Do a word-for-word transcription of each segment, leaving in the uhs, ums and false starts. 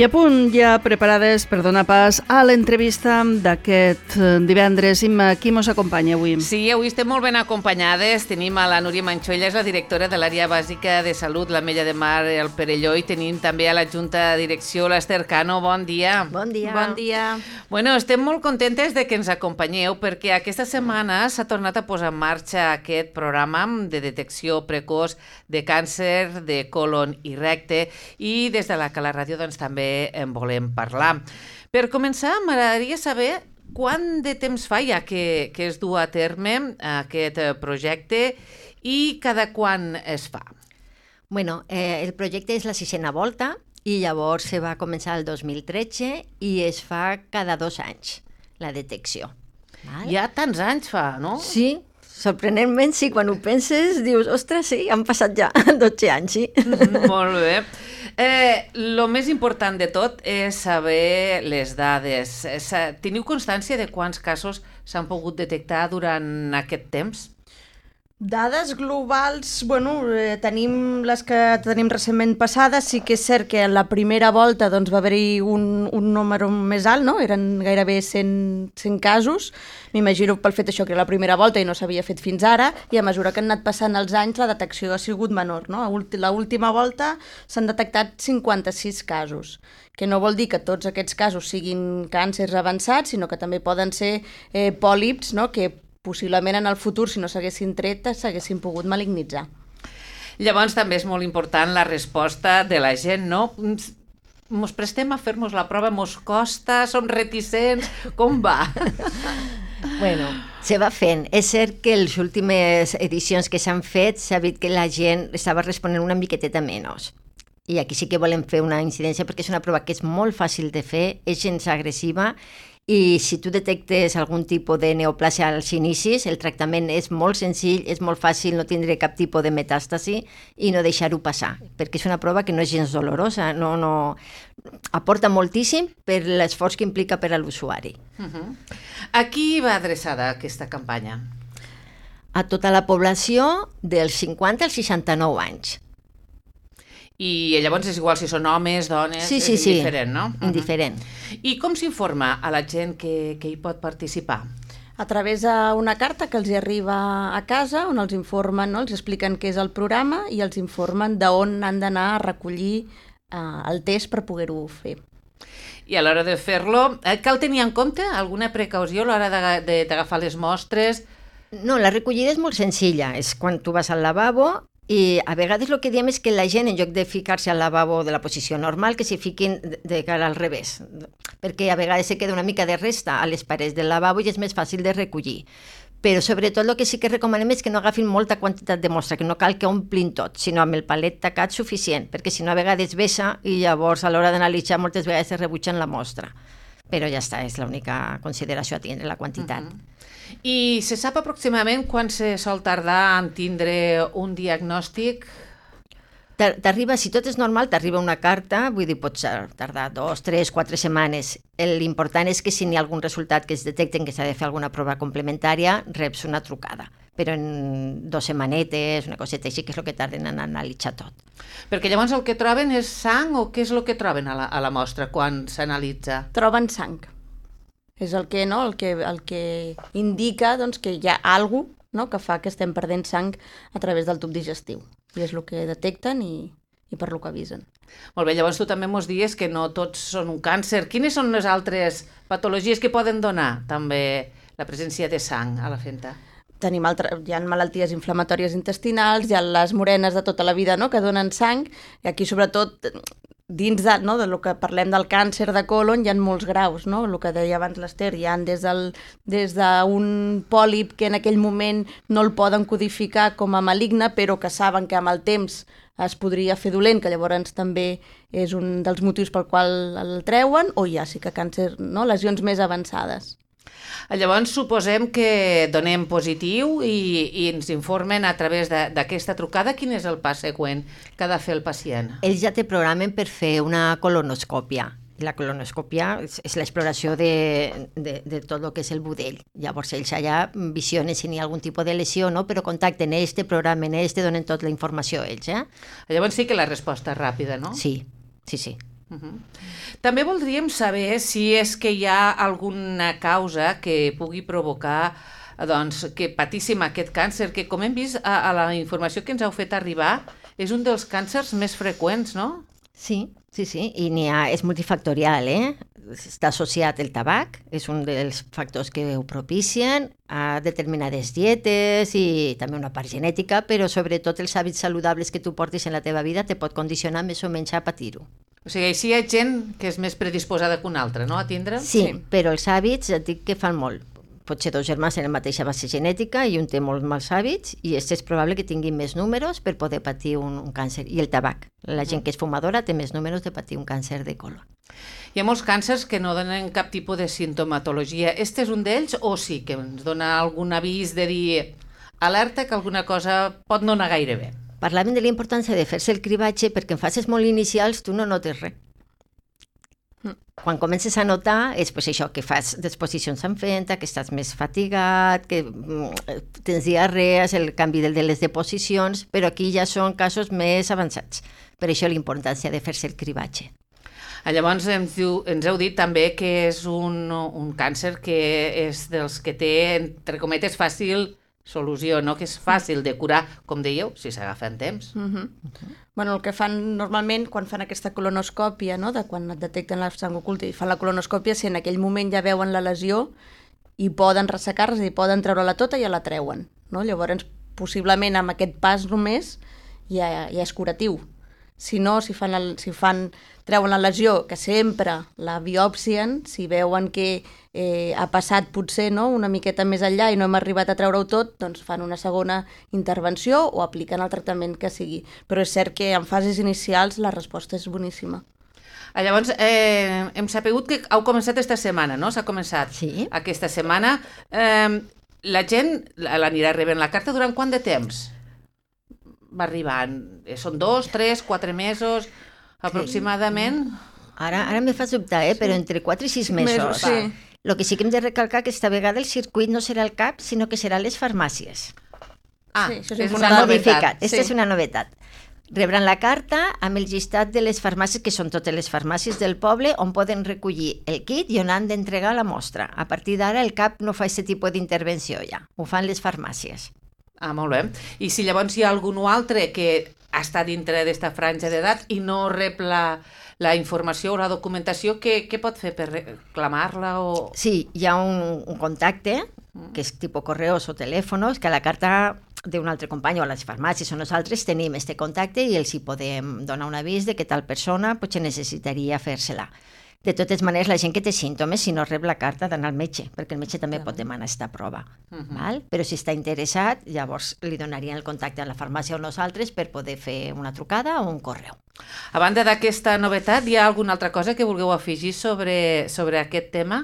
I a punt ja preparades per donar pas a l'entrevista d'aquest divendres. Imma, qui mos acompanya avui? Sí, avui estem molt ben acompanyades. Tenim a la Núria Manxó, ella és la directora de l'àrea bàsica de salut, l'Ametlla de Mar, el Perelló, i tenim també a la Junta de Direcció l'Ester Cano. Bon dia. Bon dia. Bon dia. Bueno, estem molt contentes de que ens acompanyeu perquè aquesta setmana s'ha tornat a posar en marxa aquest programa de detecció precoç de càncer de colon i recte, i des de la Cala Ràdio doncs, també en volem parlar. Per començar, m'agradaria saber quant de temps fa ja que, que es du a terme aquest projecte i cada quan es fa. Bueno, eh, el projecte és la sisena volta i llavors se va començar el dos mil tretze i es fa cada dos anys, la detecció. Val? Ja tants anys fa, no? Sí, sorprenentment, sí, quan ho penses dius, ostres, sí, han passat ja dotze anys, sí. Mm, molt bé. Eh, lo més important de tot és saber les dades. Teniu constància de quants casos s'han pogut detectar durant aquest temps? Dades globals, bueno, eh, tenim les que tenim recentment passades. Sí que és cert que en la primera volta doncs, va haver-hi un, un número més alt, no? Eren gairebé cent, cent casos. M'imagino pel fet això que era la primera volta i no s'havia fet fins ara, i a mesura que han anat passant els anys la detecció ha sigut menor, no? A l'última volta s'han detectat cinquanta-sis casos, que no vol dir que tots aquests casos siguin càncers avançats, sinó que també poden ser eh, pòlips, no? Que possiblement en el futur, si no s'haguessin tret, s'haguessin pogut malignitzar. Llavors també és molt important la resposta de la gent, no? Mos prestem a fer-nos la prova, mos costa, som reticents, com va? Bueno, se va fent. És cert que les últimes edicions que s'han fet s'ha vist que la gent estava responent una miqueteta menys. I aquí sí que volem fer una incidència perquè és una prova que és molt fàcil de fer, és gens agressiva, i si tu detectes algun tipus de neoplàsia als inicis, el tractament és molt senzill, és molt fàcil, no tindré cap tipus de metàstasi i no deixar-ho passar, perquè és una prova que no és gens dolorosa, no, no... aporta moltíssim per l'esforç que implica per a l'usuari. Uh-huh. A qui va adreçada aquesta campanya? A tota la població dels cinquanta als seixanta-nou anys. I llavors és igual si són homes, dones, sí, sí, és indiferent, sí. no? Indiferent. Uh-huh. I com s'informa a la gent que, que hi pot participar? A través d'una carta que els hi arriba a casa, on els informen, no? Els expliquen què és el programa i els informen d'on han d'anar a recollir eh, el test per poder-ho fer. I a l'hora de fer-lo, eh, cal tenir en compte alguna precaució a l'hora d'agafar les mostres? No, la recollida és molt senzilla. És quan tu vas al lavabo i a vegades el que diem és que la gent, en lloc de ficar-se al lavabo de la posició normal, que s'hi fiquin de cara al revés, perquè a vegades se queda una mica de resta a les parets del lavabo i és més fàcil de recollir. Però sobretot el que sí que recomanem és que no agafin molta quantitat de mostra, que no cal que omplin tot, sinó amb el palet tacat suficient, perquè si no a vegades vessa i llavors a l'hora d'analitzar moltes vegades es rebutgen la mostra. Però ja està, és l'única consideració a tindre, la quantitat. Uh-huh. I se sap aproximadament quan se sol tardar en tindre un diagnòstic? T'arriba, si tot és normal, t'arriba una carta, vull dir, pots tardar dos, tres, quatre setmanes. L'important és que si n'hi ha algun resultat que es detecten que s'ha de fer alguna prova complementària, reps una trucada. Però en dos setmanetes, una coseta així, que és el que tarden en analitzar tot. Perquè llavors el que troben és sang o què és el que troben a la, a la mostra quan s'analitza? Troben sang. És el que, no, el que, el que indica doncs, que hi ha alguna cosa, no, que fa que estem perdent sang a través del tub digestiu. I és el que detecten i, i per lo que avisen. Molt bé, llavors tu també mos dius que no tots són un càncer. Quines són les altres patologies que poden donar també la presència de sang a la fenta? Tenim altre, hi ha malalties inflamatòries intestinals, hi ha les morenes de tota la vida, no?, que donen sang, i aquí sobretot dins de, no, de lo que parlem del càncer de colon hi ha molts graus, no? El que deia abans l'Ester, hi ha des d'un des pòlip que en aquell moment no el poden codificar com a maligne, però que saben que amb el temps es podria fer dolent, que llavors també és un dels motius pel qual el treuen, o hi ha sí que càncer, no? Lesions més avançades. Llavors suposem que donem positiu i, i ens informen a través d'aquesta trucada quin és el pas següent que ha de fer el pacient. Ells ja te programen per fer una colonoscòpia. La colonoscòpia és, és l'exploració de, de, de tot el que és el budell. Llavors ells allà visionen si n'hi ha algun tipus de lesió, no? Però contacten ells, te programen ells, te donen tota la informació ells. Eh? Llavors sí que la resposta és ràpida, no? Sí, sí, sí. Uh-huh. També voldríem saber si és que hi ha alguna causa que pugui provocar doncs, que patíssim aquest càncer, que com hem vist a, a la informació que ens heu fet arribar, és un dels càncers més freqüents, no? Sí, sí, sí, i n'hi ha, és multifactorial, eh? Està associat el tabac, és un dels factors que ho propicien, a determinades dietes i també una part genètica, però sobretot els hàbits saludables que tu portis en la teva vida te pot condicionar més o menys a patir-ho. O sigui, així hi ha gent que és més predisposada que una altra, no?, a tindre? Sí, sí, però els hàbits et dic que fan molt. Pot ser dos germans en la mateixa base genètica i un té molt mals hàbits i és probable que tinguin més números per poder patir un, un càncer. I el tabac. La gent que és fumadora té més números de patir un càncer de colon. Hi ha molts càncers que no donen cap tipus de sintomatologia. Este és un d'ells o sí que ens dona algun avís de dir alerta que alguna cosa pot no anar gaire bé? Parlaven de la importància de fer-se el cribatge perquè en fases molt inicials tu no notes res. Quan comences a notar és pues, això, que fas disposicions en fenta, que estàs més fatigat, que tens diarrees, el canvi de les deposicions, però aquí ja són casos més avançats. Per això la importància de fer-se el cribatge. Llavors ens, diu, ens heu dit també que és un, un càncer que és dels que té, entre cometes, fàcil solució, no? Que és fàcil de curar, com dèieu, si s'agafa en temps. Uh-huh. Uh-huh. Bueno, el que fan normalment quan fan aquesta colonoscòpia, no? De quan et detecten la sang oculta i fan la colonoscòpia, si en aquell moment ja veuen la lesió i poden ressecar-la, és a dir, poden treure-la tota i ja la treuen. No? Llavors, possiblement amb aquest pas només ja, ja és curatiu. Si no, si fan, el, si fan treuen la lesió, que sempre la biòpsien, si veuen que eh, ha passat potser no, una miqueta més enllà i no hem arribat a treure-ho tot, doncs fan una segona intervenció o apliquen el tractament que sigui. Però és cert que en fases inicials la resposta és boníssima. Llavors, eh, hem sapigut que heu començat esta setmana, no? S'ha començat sí. aquesta setmana. Eh, la gent l'anirà rebent la carta durant quant de temps? Va arribant? Són dos, tres, quatre mesos, aproximadament? Ara, ara me fas dubtar, eh? Sí. Però entre quatre i sis mesos. mesos sí. El que sí que hem de recalcar que esta vegada el circuit no serà el C A P, sinó que serà les farmàcies. Ah, sí, això és, és una novetat. Aquesta sí. és una novetat. Rebran la carta amb el llistat de les farmàcies, que són totes les farmàcies del poble, on poden recollir el kit i on han d'entregar la mostra. A partir d'ara el C A P no fa aquest tipus d'intervenció ja, ho fan les farmàcies. Ah, molt bé. I si llavors hi ha algun altre que està dintre d'esta franja d'edat i no rep la, la informació o la documentació, què, què pot fer per reclamar-la? O... Sí, hi ha un, un contacte, que és tipus correus o telèfonos, que a la carta d'un altre company o a les farmàcies o nosaltres tenim este contacte i els hi podem donar un avís de que tal persona potser necessitaria fer-se-la. De totes maneres, la gent que té símptomes, si no rep la carta, d'anar al metge, perquè el metge també pot demanar aquesta prova. Uh-huh. Val? Però si està interessat, llavors li donarien el contacte a la farmàcia o nosaltres per poder fer una trucada o un correu. A banda d'aquesta novetat, hi ha alguna altra cosa que vulgueu afegir sobre, sobre aquest tema?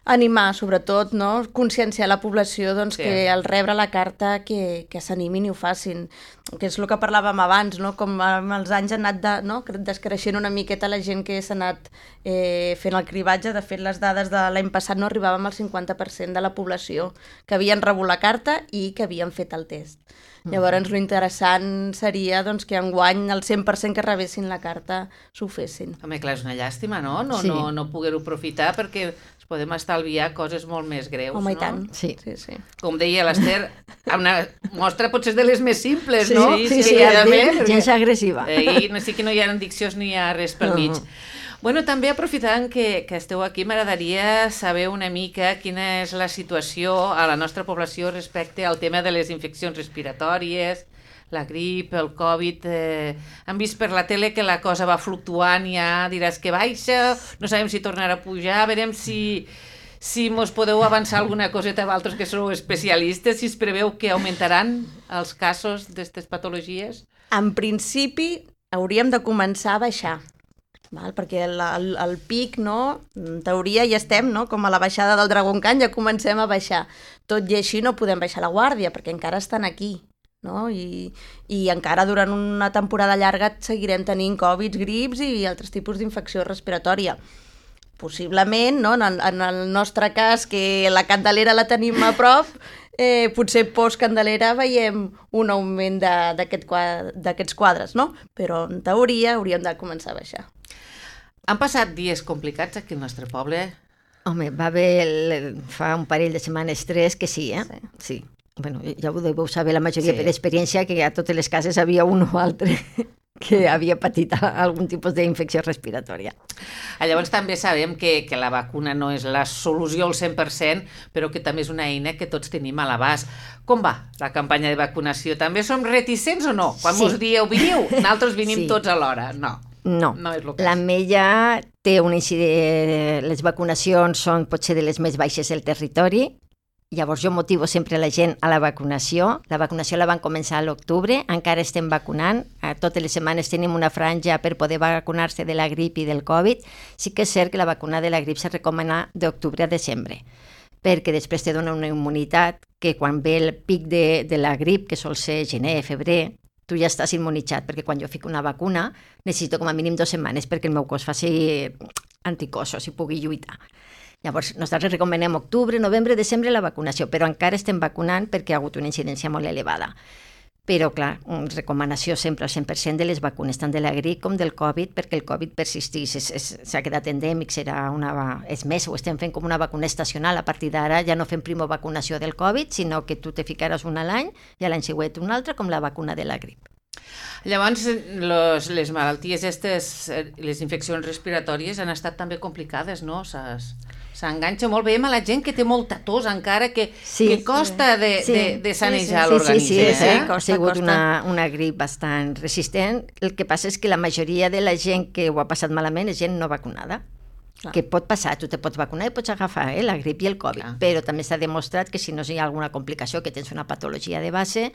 Animar, sobretot, no? Conscienciar la població doncs, sí. que al rebre la carta que, que s'animin i ho facin, que és el que parlàvem abans, no? Com amb els anys ha anat de, no? descreixent una miqueta la gent que s'ha anat eh, fent el cribatge. De fet, les dades de l'any passat no arribàvem al cinquanta per cent de la població que havien rebut la carta i que havien fet el test. Mm. Llavors, l'interessant seria doncs, que enguany el cent per cent que rebessin la carta s'ho fessin. Home, clar, és una llàstima, no? No, sí. no, no poder-ho aprofitar perquè podem estalviar coses molt més greus, Home, no? i tant. Sí. Sí, sí. Com deia l'Ester, una mostra potser de les més simples, sí, no? Sí, sí, sí, sí, sí gens agressiva. Eh, no sé que no hi ha addiccions ni hi ha res pel mig. Uh-huh. Bueno, també aprofitant que, que esteu aquí, m'agradaria saber una mica quina és la situació a la nostra població respecte al tema de les infeccions respiratòries, la grip, el Covid. Eh, han vist per la tele que la cosa va fluctuant, ja diràs que baixa, no sabem si tornarà a pujar, veurem si, si mos podeu avançar alguna coseta a vosaltres que sou especialistes, si es preveu que augmentaran els casos d'aquestes patologies. En principi hauríem de començar a baixar. Val? Perquè el, el, el pic, no? En teoria ja estem, no? Com a la baixada del Dragon Khan, ja comencem a baixar. Tot i així no podem baixar la guàrdia, perquè encara estan aquí. No? I, i encara durant una temporada llarga seguirem tenint Covid, grips i altres tipus d'infecció respiratòria. Possiblement, no? en, el, en el nostre cas, que la Candelera la tenim a prop, eh, potser post-Candelera veiem un augment d'aquests quadres, no? Però en teoria hauríem de començar a baixar. Han passat dies complicats aquí al nostre poble? Home, va haver el, fa un parell de setmanes tres que sí, eh? Sí. sí. Bueno, ja ho deveu saber la majoria sí. per experiència que a totes les cases havia un o altre que havia patit algun tipus d'infecció respiratòria. Llavors també sabem que, que la vacuna no és la solució al cent per cent, però que també és una eina que tots tenim a l'abast. Com va la campanya de vacunació? També som reticents o no? Quan sí. us dieu, veniu, nosaltres venim sí. tots alhora. No. No, no és el cas. L'Ametlla té una incidència... Les vacunacions són potser de les més baixes del territori. Llavors jo motivo sempre la gent a la vacunació. La vacunació la van començar a l'octubre, encara estem vacunant. Totes les setmanes tenim una franja per poder vacunar-se de la grip i del Covid. Sí que és cert que la vacuna de la grip s'ha recomanat d'octubre a desembre, perquè després te dona una immunitat que quan ve el pic de, de la grip, que sol ser gener, febrer, tu ja estàs immunitzat, perquè quan jo fico una vacuna necessito com a mínim dues setmanes perquè el meu cos faci anticossos i pugui lluitar. Llavors, nosaltres recomanem octubre, novembre, desembre la vacunació, però encara estem vacunant perquè ha hagut una incidència molt elevada. Però, clar, recomanació sempre al cent per cent de les vacunes, tant de la grip com del Covid, perquè el Covid persistís, s'ha quedat endèmic, serà una... És més, ho estem fent com una vacuna estacional. A partir d'ara ja no fem primer vacunació del Covid, sinó que tu te ficaràs una a l'any i a l'any següent una altra, com la vacuna de la grip. Llavors, los, les malalties aquestes, les infeccions respiratòries han estat també complicades, no? S'enganxa molt bé amb la gent que té molta tos encara, que, sí, que costa de, sí. de, de sanejar sí, sí, l'organisme. Sí, sí, sí, eh? sí, ha sigut una, una grip bastant resistent. El que passa és que la majoria de la gent que ho ha passat malament és gent no vacunada. Clar. Que pot passar, tu te pots vacunar i pots agafar eh, la grip i el Covid, Clar. Però també s'ha demostrat que si no hi ha alguna complicació, que tens una patologia de base,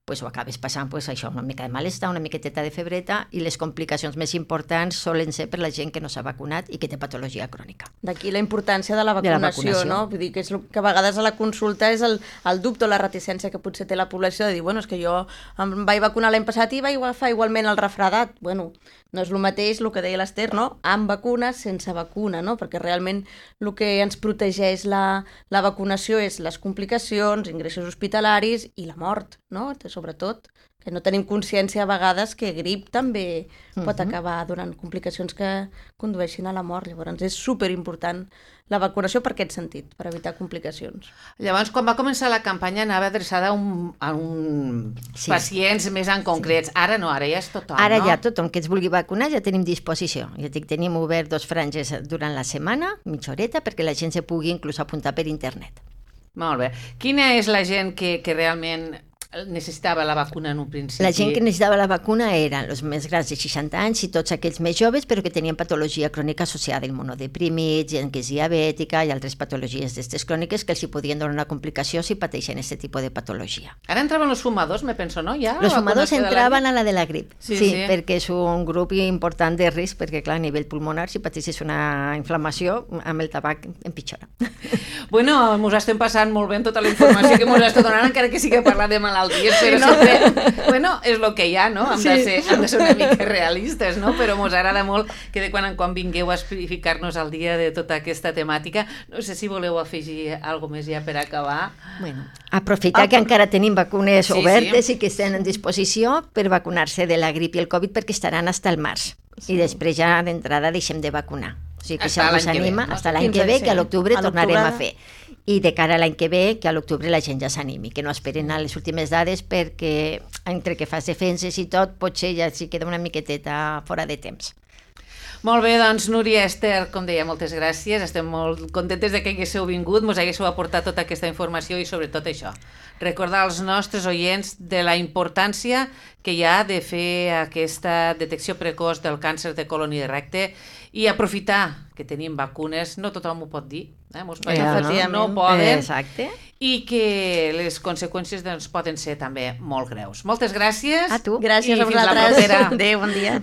pues ho acabes passant pues, això, una mica de malestar, una miqueteta de febreta, i les complicacions més importants solen ser per la gent que no s'ha vacunat i que té patologia crònica. D'aquí la importància de la vacunació, de la vacunació. No? Vull dir que, és el que a vegades a la consulta és el, el dubte o la reticència que potser té la població de dir, bueno, és que jo em vaig vacunar l'any passat i vaig agafar igualment el refredat. Bueno, no és el mateix el que deia l'Ester, no? Amb vacuna, sense vacuna, no? Perquè realment el que ens protegeix la, la vacunació és les complicacions, ingressos hospitalaris i la mort, no? Sobretot, que no tenim consciència a vegades que grip també pot uh-huh. acabar donant complicacions que condueixin a la mort. Llavors és superimportant la vacunació per aquest sentit, per evitar complicacions. Llavors, quan va començar la campanya anava adreçada a un, a un sí. pacients més en concrets. Sí. Ara no, ara ja és tothom, ara no? Ara ja tothom que es vulgui vacunar ja tenim disposició. Ja dic, tenim obert dos franges durant la setmana, mitja horeta, perquè la gent se pugui inclús apuntar per internet. Molt bé. Quina és la gent que, que realment necessitava la vacuna en un principi? La gent que necessitava la vacuna eren els més grans de seixanta anys i tots aquells més joves, però que tenien patologia crònica associada, immunodeprimits, gent que és diabètica i altres patologies d'aquestes cròniques que els hi podien donar una complicació si pateixen aquest tipus de patologia. Ara entraven els fumadors, me penso, no? Ja, els fumadors entraven la... a la de la grip, sí, sí, sí, perquè és un grup important de risc, perquè clar, a nivell pulmonar, si pateixes una inflamació, amb el tabac empitjora. Bueno, mos estem passant molt bé en tota la informació que mos està donant, encara que sí que parla de malalties, però sí, no? sempre, bueno, és el que hi ha, no? Hem, sí. de ser, hem de ser una mica realistes, no? Però mos agrada molt que de quan en quan vingueu a ficar-nos al dia de tota aquesta temàtica. No sé si voleu afegir alguna més ja per acabar. Bueno, aprofitar ah, que encara tenim vacunes sí, obertes sí. i que estan en disposició per vacunar-se de la grip i el Covid perquè estaran fins al març. Sí. I després ja d'entrada deixem de vacunar. O sigui que hasta si algú s'anima, fins l'any que ve, que a l'octubre tornarem a fer. I de cara a l'any que ve, que a l'octubre la gent ja s'animi, que no esperen a les últimes dades perquè entre que fas defenses i tot, potser ja s'hi queda una miqueteta fora de temps. Molt bé, doncs Núria, Ester, com deia, moltes gràcies. Estem molt contentes de que haguéssiu vingut, mos haguéssiu aportat tota aquesta informació i sobretot això, recordar als nostres oients de la importància que hi ha de fer aquesta detecció precoç del càncer de colon i de recte i aprofitar que tenim vacunes, no tothom ho pot dir, eh? Molts països no, no poden, exacte. I que les conseqüències doncs, poden ser també molt greus. Moltes gràcies. A tu. Gràcies i a vosaltres. Fins la propera. Adéu, bon dia.